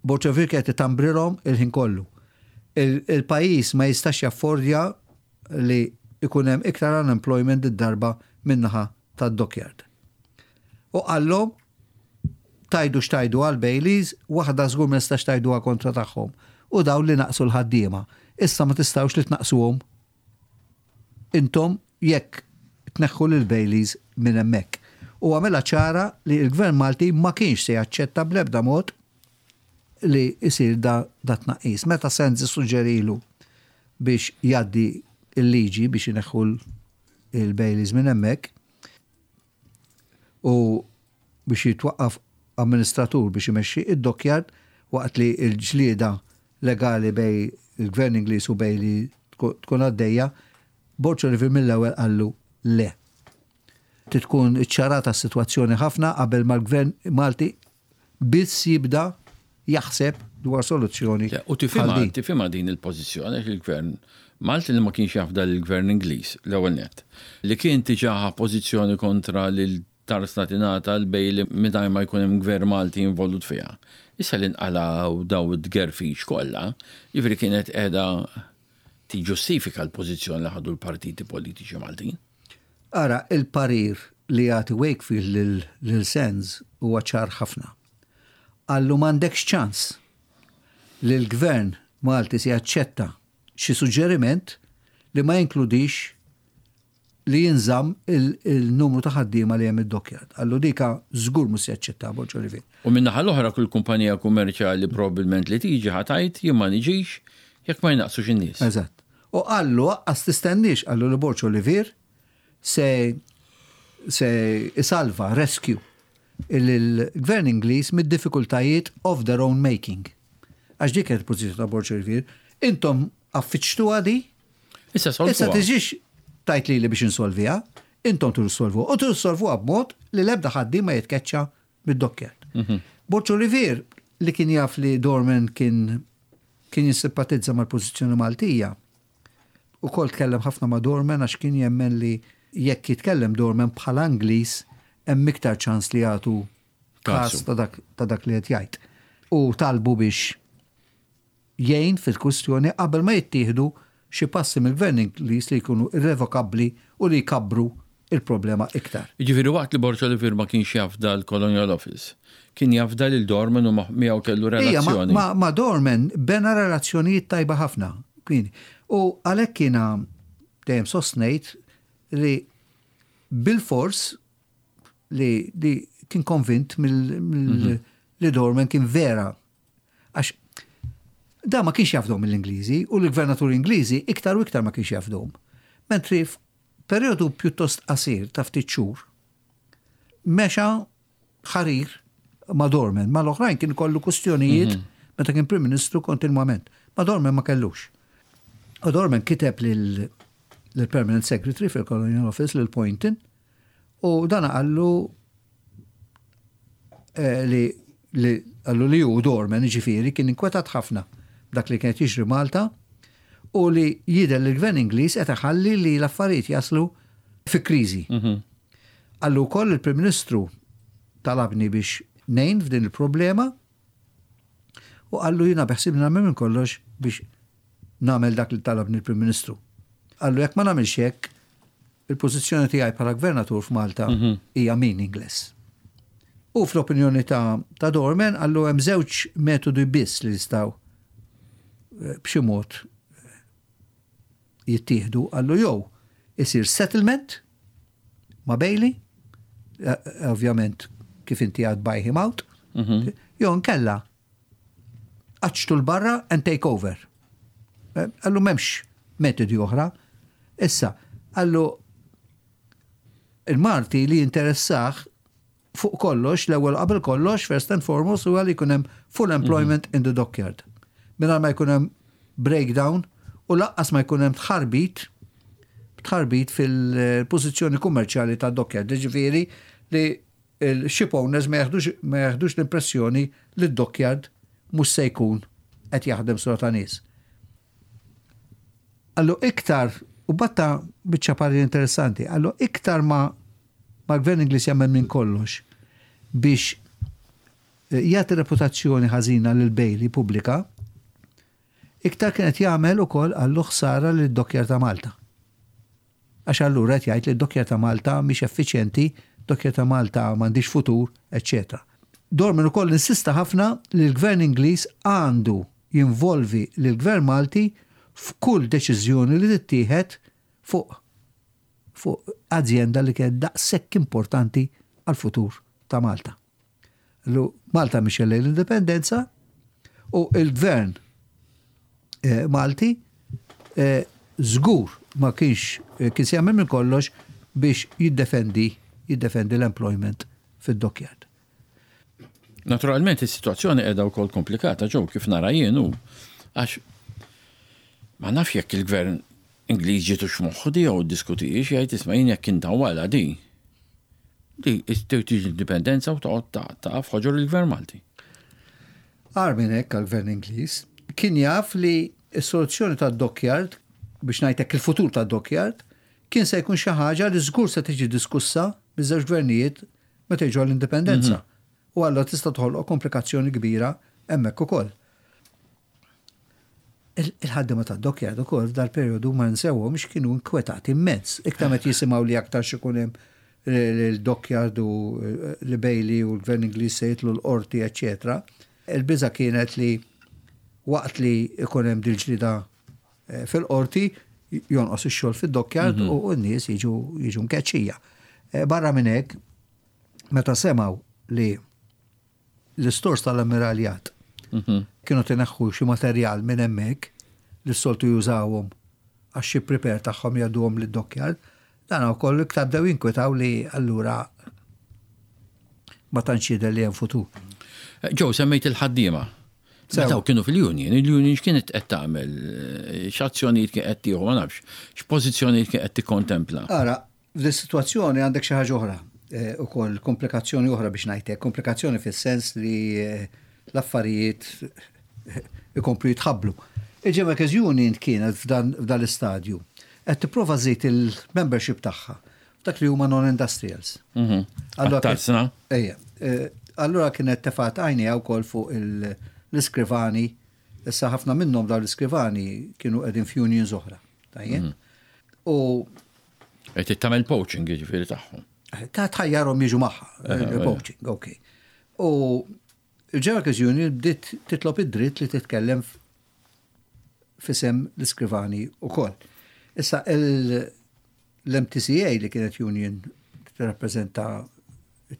Borg Olivier kienet itambrilhom il-ħin kollu. Il-pajjiż ma jistax jaffordja li jkun hemm iktar unemployment did-darba min-naħa tad-dockyard. U qallhom Tgħidu x'tgħidu għal Baileys, waħda żgur ma nistax tgħiduha kontra tagħhom, u dawn li naqqsu l-ħaddiema. Issa ma tistgħux li tnaqqsuhom intom jekk tneħħu lil Baileys minn hemmhekk. U għamilha ċara li l-Gvern Malti ma kienx se jaċċetta bl-ebda mod li jsir da dat-tnaqqis. Meta Sands issuġġerilu biex jgħaddi l-liġi biex ineħħu l-Baileys minn hemmhekk, u biex jitwaqqaf amministratur biex imexxi id-dockyard waqt li l-ġlieda legali bejn il-Gvern Ingliż u Bailey tkun għaddejja, Borg Olivier mill-ewwel qallu le. Trid tkun iċċarata s-sitwazzjoni ħafna qabel ma l-Gvern Malti biss jibda jaħseb dwar soluzzjoni U bħal din. Tifhimha din il-pożizzjoni għax il-Gvern Malti li ma kienx jafda lill-Gvern Ingliż, l-ewwel nett, li kien diġà ħa pożizzjoni kontra li l-tarsna tingħata l-Bailey mingħajr ma jkun hemm Gvern Malti involut fiha. Issa li nqalgħu daw it-tgerfix kollha, jiġifieri kienet qiegħda tiġġustifika l-pożizzjoni li ħadu l-partiti politiċi Maltin. Ara, il-parir li jagħti Wakefield lil Sands huwa ċar ħafna. Qallu m'għandekx ċans li l-Gvern Malti se jaċċetta xi suġġeriment li ma jinkludix li jinżamm il-numru ta' ħaddiema li hemm id-dockyard. Qallu dika żgur mhux se jaċċettaha Borg Olivier. U min-naħa l-oħra kull kumpanija kummerċjali probbilment li tiġi ħa tgħid jien ma niġix jekk ma jnaqqsux in-nies. Eżatt. U qallu aqqas tistenniex, qallu li Borg Olivier se se isalva, rescue, il-Gvern Ingliż mid-diffikultajiet of their own making. Għax dik kienet il-pożizzjoni ta' Borg Olivier. Intom affiċtuha di, Issa solvuha. Issa tiġix tgħid lili biex insolviha, intom tridu ssolvuha. U tridu ssolvuha b'mod li l-ebda ħaddiem ma jitkeċċa mid-dockyard. Borg Olivier li kien jaf li Dorman kien kien jissimpatizza mal-pożizzjoni Maltija, ukoll tkellem ħafna ma' Dorman għax kien jemmen li jekk jitkellem Dorman bħala Ingliż hemm iktar ċans li jagħtu każ ta' dak ta' dak li qed jgħid. U talbu biex jgħin fil-kwistjoni qabel ma jittieħdu xi passi mill-Gvern Ingliż li jkunu irrevokabbli u li jkabbru l-problema iktar. Jiġifieri waqt li Borg Olivier ma kienx jafda l-Colonial Office, kien jafda lil Dorman u miegħu kellu relazzjoni. Ija, ma' Dorman bena relazzjonijiet tajba ħafna. U għalhekk jiena dejjem sostnejt li bilfors li kien konvint li Dorman kien vera Għax da ma kienx jafdhom mill-Ingliżi u l-gvernaturi Ingliżi iktar u iktar ma kienx jafdhom. Mentri f'perjodu pjuttost qasir ta' ftit xhur mexa ħarir ma' Dorman, ma' l-oħrajn kien kollu kustjonijiet mhm. meta kien Prim Ministru kontinwament. Ma' Dorman ma kellux. U Dorman kiteb lil permanent Secretary fil-Colonial Office lil Poynton U dan qallu eh, li li qallu li hu Dorman ġifieri kien inkwetat ħafna b'dak li kienet jiġri Malta u li jidher li l-gvern Ingliż qed iħalli li l-affarijiet jaslu fi kriżi. Mhm. Qallu wkoll il-Prim Ministru talabni biex ngħin f'din il-problema u qallu jiena beħsibni nagħmel minn kollox biex nagħmel dak li talabni l-Prim Ministru. Qallu jekk ma nagħmilx hekk, il-pożizzjoni tiegħi bħala gvernatur f'Malta mhm. hija meaningless. U fl-opinjoni ta', ta Dorman qallu hemm żewġ metodi biss li jistgħu eh, b'xi mod jittieħdu qallu jew isir settlement ma' Bailey, ovvjament kif inti għad buy him out, jew nkella qaċċtu l-barra and take over. Qallu m'hemmx metodi oħra. Issa, qallu il-Malti li jinteressah fuq kollox, l-ewwel qabel kollox, first and foremost, huwa li jkun hemm full employment in the dockyard. Mingħajr ma jkun hemm breakdown u lanqas ma jkun hemm tħarbit tħarbit fil-pożizzjoni kummerċjali ta' dockyard. Ġifieri li l-ship owners ma jaħdux l-impressjoni li d-dockyard mhux se jkun qed jaħdem sura ta' nies. Qallu iktar, u batta biċċa parir interessanti, qallu iktar ma ma l-gvern Ingliż jagħmel minn kollox biex jagħti reputazzjoni ħażina lil Bailey pubblika, iktar kien qed jagħmel ukoll qallu ħsara lid dockyard ta' Malta. Għax allura qed jgħid li d-dockyard ta' Malta mhix effiċjenti, dockyard ta' Malta m'għandhiex futur, eċċetera. Dorman ukoll insista ħafna li l-gvern Ingliż għandu jinvolvi lill-gvern Malti f'kull deċiżjoni li tittieħed fuq fuq azjenda li kienet daqshekk importanti għall-futur ta' Malta. Lu Malta mixja lejn l-indipendenza u il-gvern Malti żgur ma kienx kien se jagħmel minn kollox biex jiddefendi jiddefendi l-employment fid-dockyard. Naturalment is-sitwazzjoni qiegħda wkoll komplikata ġew kif nara jien hu għax ma nafx jekk il-gvern Ingliż ġietux f'moħħu di jew iddiskutihiex jgħid isma' jien jekk intawwalha di di tiġi l-indipendenza u toqgħod taqa' f'ħoġor il-gvern Malti. Agħar minn hekk għall-gvern Ingliż, kien jaf li s-soluzzjoni tad-dockyard, biex ngħid hekk il-futur tad-dockyard, kien se jkun xi ħaġa li żgur se tiġi diskussa miż-żewġ gvernijiet meta jiġu għall-indipendenza. U allura tista' toħloq komplikazzjoni kbira hemmhekk ukoll. Il-ħaddiema tad-dockyard ukoll f'dal-perjodu ma nsewhomx kienu inkwetati immens. Iktar meta jisimgħu li aktar x'ikun hemm l-dockyard u li Bailey u l-Gvern Ingliż se jitlu l-qorti, eċċetera. Il-biża' kienet li waqt li ikun hemm dil-ġlieda fil-qorti jonqos ix-xogħol fid-dockyard u n-nies jiġu jiġu mkeċċija. Barra minn hekk, meta semgħu li l-istors tal-ammiraljat kienu tineħħu xi materjal minn hemmhekk li s-soltu jużawhom għax xi prepare tagħhom jgħadduhom lid-dockyard, dan ukoll iktar bdew jinkwetaw li allura ma tantx jidher li hemm futur. Joe, semmejt il-ħaddiema. Meta kienu fil-union, il-union x'kienet qed tagħmel, x'azzjonijiet kien qed tieħu, ma nafx, x'pożizzjonijiet kien qed tikkontempla. Ara, f'dis-sitwazzjoni għandek xi ħaġa oħra ukoll, komplikazzjoni oħra biex ngħid hekk, komplikazzjoni fis-sens li l-affarijiet ikomplu jitħabblu. Il-General Workers Union kienet f'dan l-istadju qed tipprova żżid il-membership tagħha f'dak li huma non-industrials. Għat-tarsna? Ejja. Allura kienet tefgħet għajnejha wkoll fuq l-iskrivani, issa ħafna minnhom dawn l-iskrivani kienu qegħdin f'unions oħra. Tajjeb? U Qed tagħmel poaching jiġifieri tagħhom. Ta' tħajjarhom jiġu magħha, poaching, ok. U il-General Workers Union bdiet titlob id-dritt li titkellem f'isem l-iskrivani wkoll. Issa l-MTCA li kienet union tirrappreżenta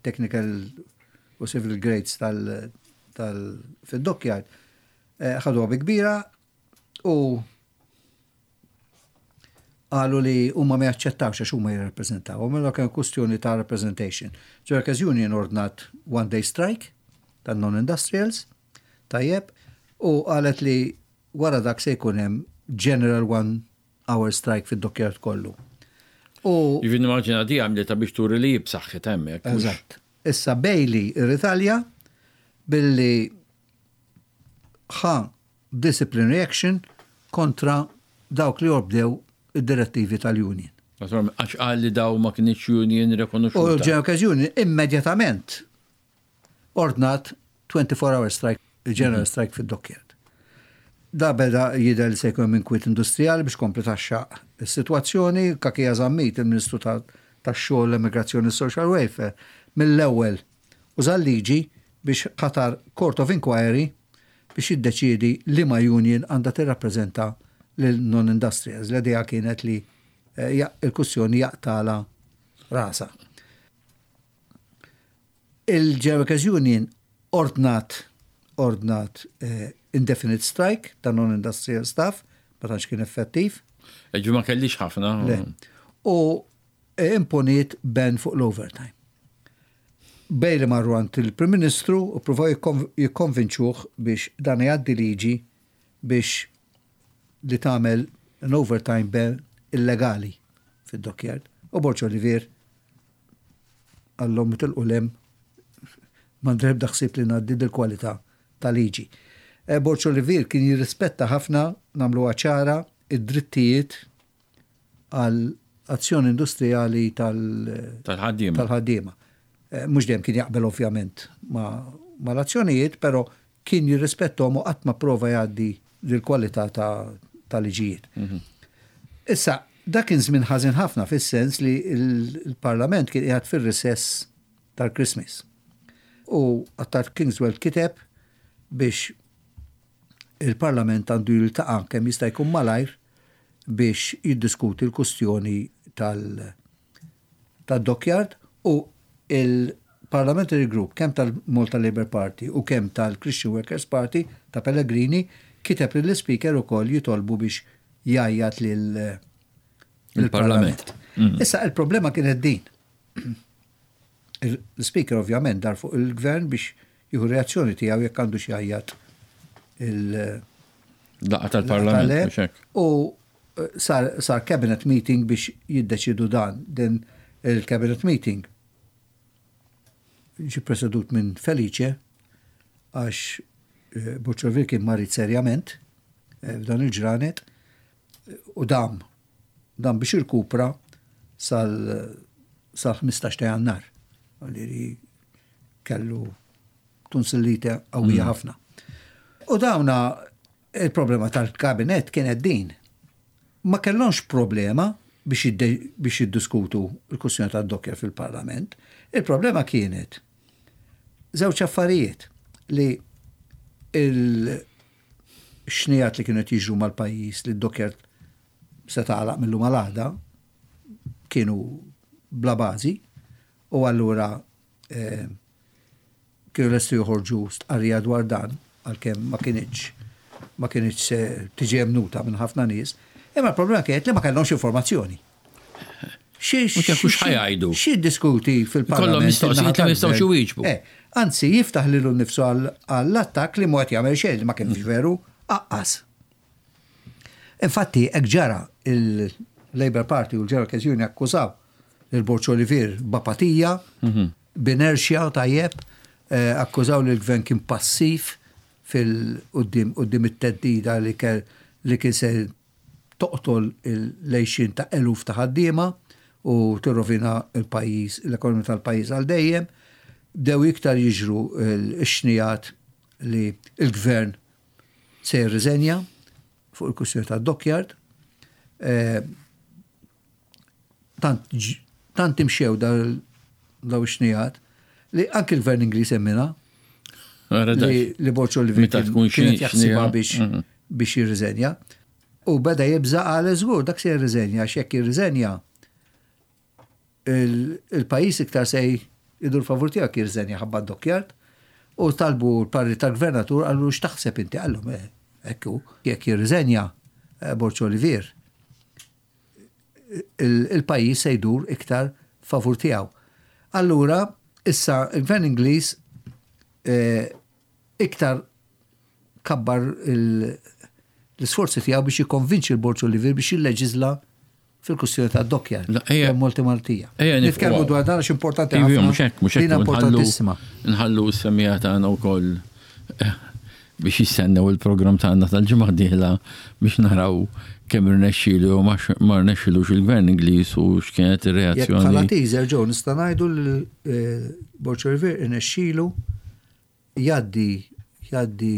technical u civil grades tal fid-dockyard, ħaduha bi kbira u qalu li huma ma jaċċettawx għax huma jirrappreżentaw. Mela kien kwestjoni ta' representation. Workers Union ordnat one day strike tan non-industrials, tajjeb, u qalet li wara dak se jkun hemm general one hour strike fid-dockyard kollu. U Jiġifieri nimmaġina di għamlitha biex turi li hi b'saħħitha hemmhekk. Eżatt. Issa Bailey irritalja billi ħa disciplinary action kontra dawk li obdew id-direttivi tal-union. Naturalment, għax qal li daw ma kinitx union rikonoxxuta. U l-General Workers Union immedjatament ordnat 24 hour strike, il-general strike fid-dockyard. Da beda jidher li se jkun hemm inkwiet industrijali biex kompli taxxaq is-sitwazzjoni. Cachia Zammit, il-Ministru tax-Xogħol, l-Immigrazzjoni u Social Welfare, mill-ewwel uża l-liġi biex ħatar Court of Inquiry biex jiddeċiedi liema union għandha tirrappreżenta lil non-industrials. L-idea kienet li eh, il-kussjoni jaqtala rasa. Il-General Workers Union ordnat ordnat eh, indefinite strike ta' non-industrial staff, ma tantx kien effettiv. Ġi ma kellix ħafna. Le. U eh, imponiet ban fuq l-overtime. Bailey marru għand il-Prim Ministru u pruvaw jikkonvinċuh biex dan jgħaddi liġi biex li tagħmel an overtime ban illegali fid-dockyard. U Borg Olivier qallhom itilqu 'l hemm m'għandi l-ebda ħsieb li ngħaddi dil-kwalità ta' liġi. Eh, Borg Olivier kien jirrispetta ħafna, nagħmluha ċara, id-drittijiet għal azzjoni industrijali tal-ħaddiema. Tal-ħaddiema. Eh, mhux dejjem kien jaqbel ovvjament ma l-azzjonijiet, però kien jirrispettom u qatt ma prova jgħaddi l-kwalità ta' liġijiet. Mhm. Issa, dak kien żmien ħażin ħafna fis-sens li l-Parlament kien qiegħed fir-recess tal-Christmas. U Attard Kingswell kiteb biex il-Parlament għandu jiltaqa' kemm jista' jkun malajr biex jiddiskuti l-kustjoni tal-dockyard u il-Parliamentary Group kemm tal-Malta Labour Party u kemm tal-Christian Workers Party ta' Pellegrini kiteb lill-Ispeaker ukoll jitolbu biex jgħajjat lill-Parlament. Mm. Issa il-problema kienet din. L-Speaker ovvjament dar fuq il-Gvern biex jieħu reazzjoni tiegħu jekk għandu xi jgħajjat il- Laqgħa tal-Parlament. U eh, sar, sar cabinet meeting biex jiddeċidu dan. Din il-cabinet meeting ġi presedut minn Felice għax eh, Buċċovir kien marid serjament eh, f'dan il-ġranet u dam dam biex irkupra sal-15 ta' jannar. Li kellu tonsillite qawwija mm. ħafna. U dawna il-problema tal-kabinet kienet din. Ma kellhomx problema biex jiddiskutu l-kwestjoni tad-docker fil-Parlament. Il-problema kienet żewġ affarijiet li il-xnijat li kienu jiġru mal-pajjiż li d-docker se tagħlaq mill-lum għal kienu bla bażi u allura eh, kienu lesti joħorġu stqarrija dwar dan, għalkemm ma kinitx ma kinitx se tiġi emnuta minn ħafna nies, imma l-problema kienet li ma kellhomx informazzjoni. Mhux jafu x'ħajgħidu. Xi diskuti fil-parlament. Kollhom mistoqsijiet li ma jistgħux iwieġbu. Eh, anzi, jiftaħ lilu nnifsu għall-attakk li mhu qed jagħmel xejn li ma kienx veru, aqqas. Infatti, hekk ġara il-Labour Party u l-General Workers Union akkużaw lil Borg Olivier b'apatija, mhm. b'inerxja tajjeb, eh, akkużaw li l-gvern kien passiv fil-qudiem it-teddida li li kien se toqtol l-għejxien ta' eluf ta' ħaddiema u tirrovina l-pajjiż, l-ekonomija tal-pajjiż għal dejjem. Bdew iktar jiġru x-xnijat li l-gvern se jirriżenja fuq il-kwistjoni tad-dockyard. Eh, tant tant imxew daw ix-xnijat li anki l-gvern Ingliż emmina li Borċo li kienet jaħsibha biex mhm. biex jirriżenja. U beda jibża għal żgur dak se jirriżenja għax jekk jirriżenja il-pajjiż iktar se jdur favur tiegħek jirriżenja ħabba d-dockyard u talbu l-parri tal-gvernatur qallu x'taħseb inti qallhom eh, hekk hu jekk jirriżenja eh, Borġ Olivier il-pajjiż se jdur iktar favur tiegħu. Allura issa il-Gvern Ingliż eh, iktar kabbar l-isforzi tiegħu biex jikkonvinċi l-Borġ Olivier biex jilleġiżla fil-kwistjoni ta' dokkjar. Multi Maltija. Nitkellmu dwar dan għax importanti ħafna. Mhux hekk, mhux hekk. Importantissima. Nħallu s-semija tagħna wkoll eh, biex jistennew il-programm tagħna tal-ġimgħa dieħla biex naraw kemm irnexxielu jew ma rnexxilux il-Gvern Ingliż u x'kienet ir-reazzjoni. Bħala teaser ġew nista' ngħidu li eh, Borġ Olivier irnexxielu Jgħaddi jgħaddi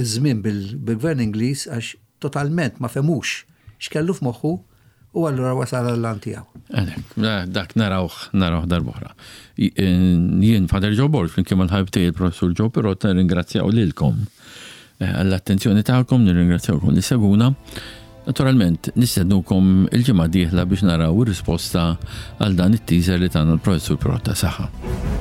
ż-żmien bil-Gvern Ingliż għax totalment ma fehmux x'kellu f'moħħu u allura wasal għall-għan tiegħu. Għalhekk, dak narawh narawh darb'oħra. Jien Father Joe Borg flimkien mal-ħabib tiegħi il-Professur Joe Pirot nirringrazzjaw lilkom. għall-attenzjoni tagħkom, nirringrazzjawkom li seguna. Naturalment, nistednukom il-ġimgħa dieħla biex naraw ir-risposta għal dan it-teaser li tagħna l-professur Pirotta. Saħħa.